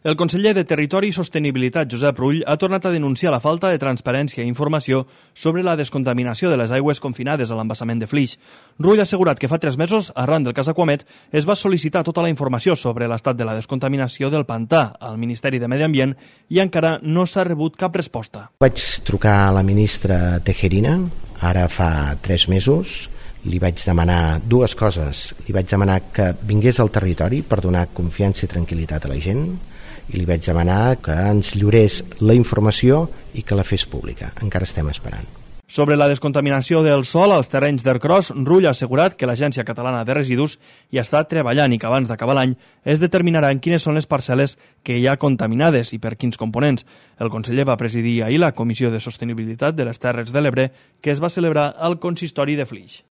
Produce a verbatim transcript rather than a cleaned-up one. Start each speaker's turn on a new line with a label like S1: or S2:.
S1: El conseller de Territori i Sostenibilitat, Josep Rull, ha tornat a denunciar la falta de transparència i informació sobre la descontaminació de les aigües confinades a l'embassament de Flix. Rull ha assegurat que fa tres mesos, arran del cas Aquamet, es va sol·licitar tota la informació sobre l'estat de la descontaminació del pantà al Ministeri de Medi Ambient i encara no s'ha rebut cap resposta.
S2: Vaig trucar a la ministra Tejerina, ara fa tres mesos, li vaig demanar dues coses. Li vaig demanar que vingués al territori per donar confiança i tranquil·litat a la gent, i li vaig demanar que ens lliurés la informació i que la fes pública. Encara estem esperant.
S1: Sobre la descontaminació del sòl als terrenys d'Ercros, Rull ha assegurat que l'Agència Catalana de Residus hi està treballant i que abans d'acabar l'any es determinaran quines són les parcel·les que hi ha contaminades i per quins components. El conseller va presidir ahir la Comissió de Sostenibilitat de les Terres de l'Ebre, que es va celebrar al consistori de Flix.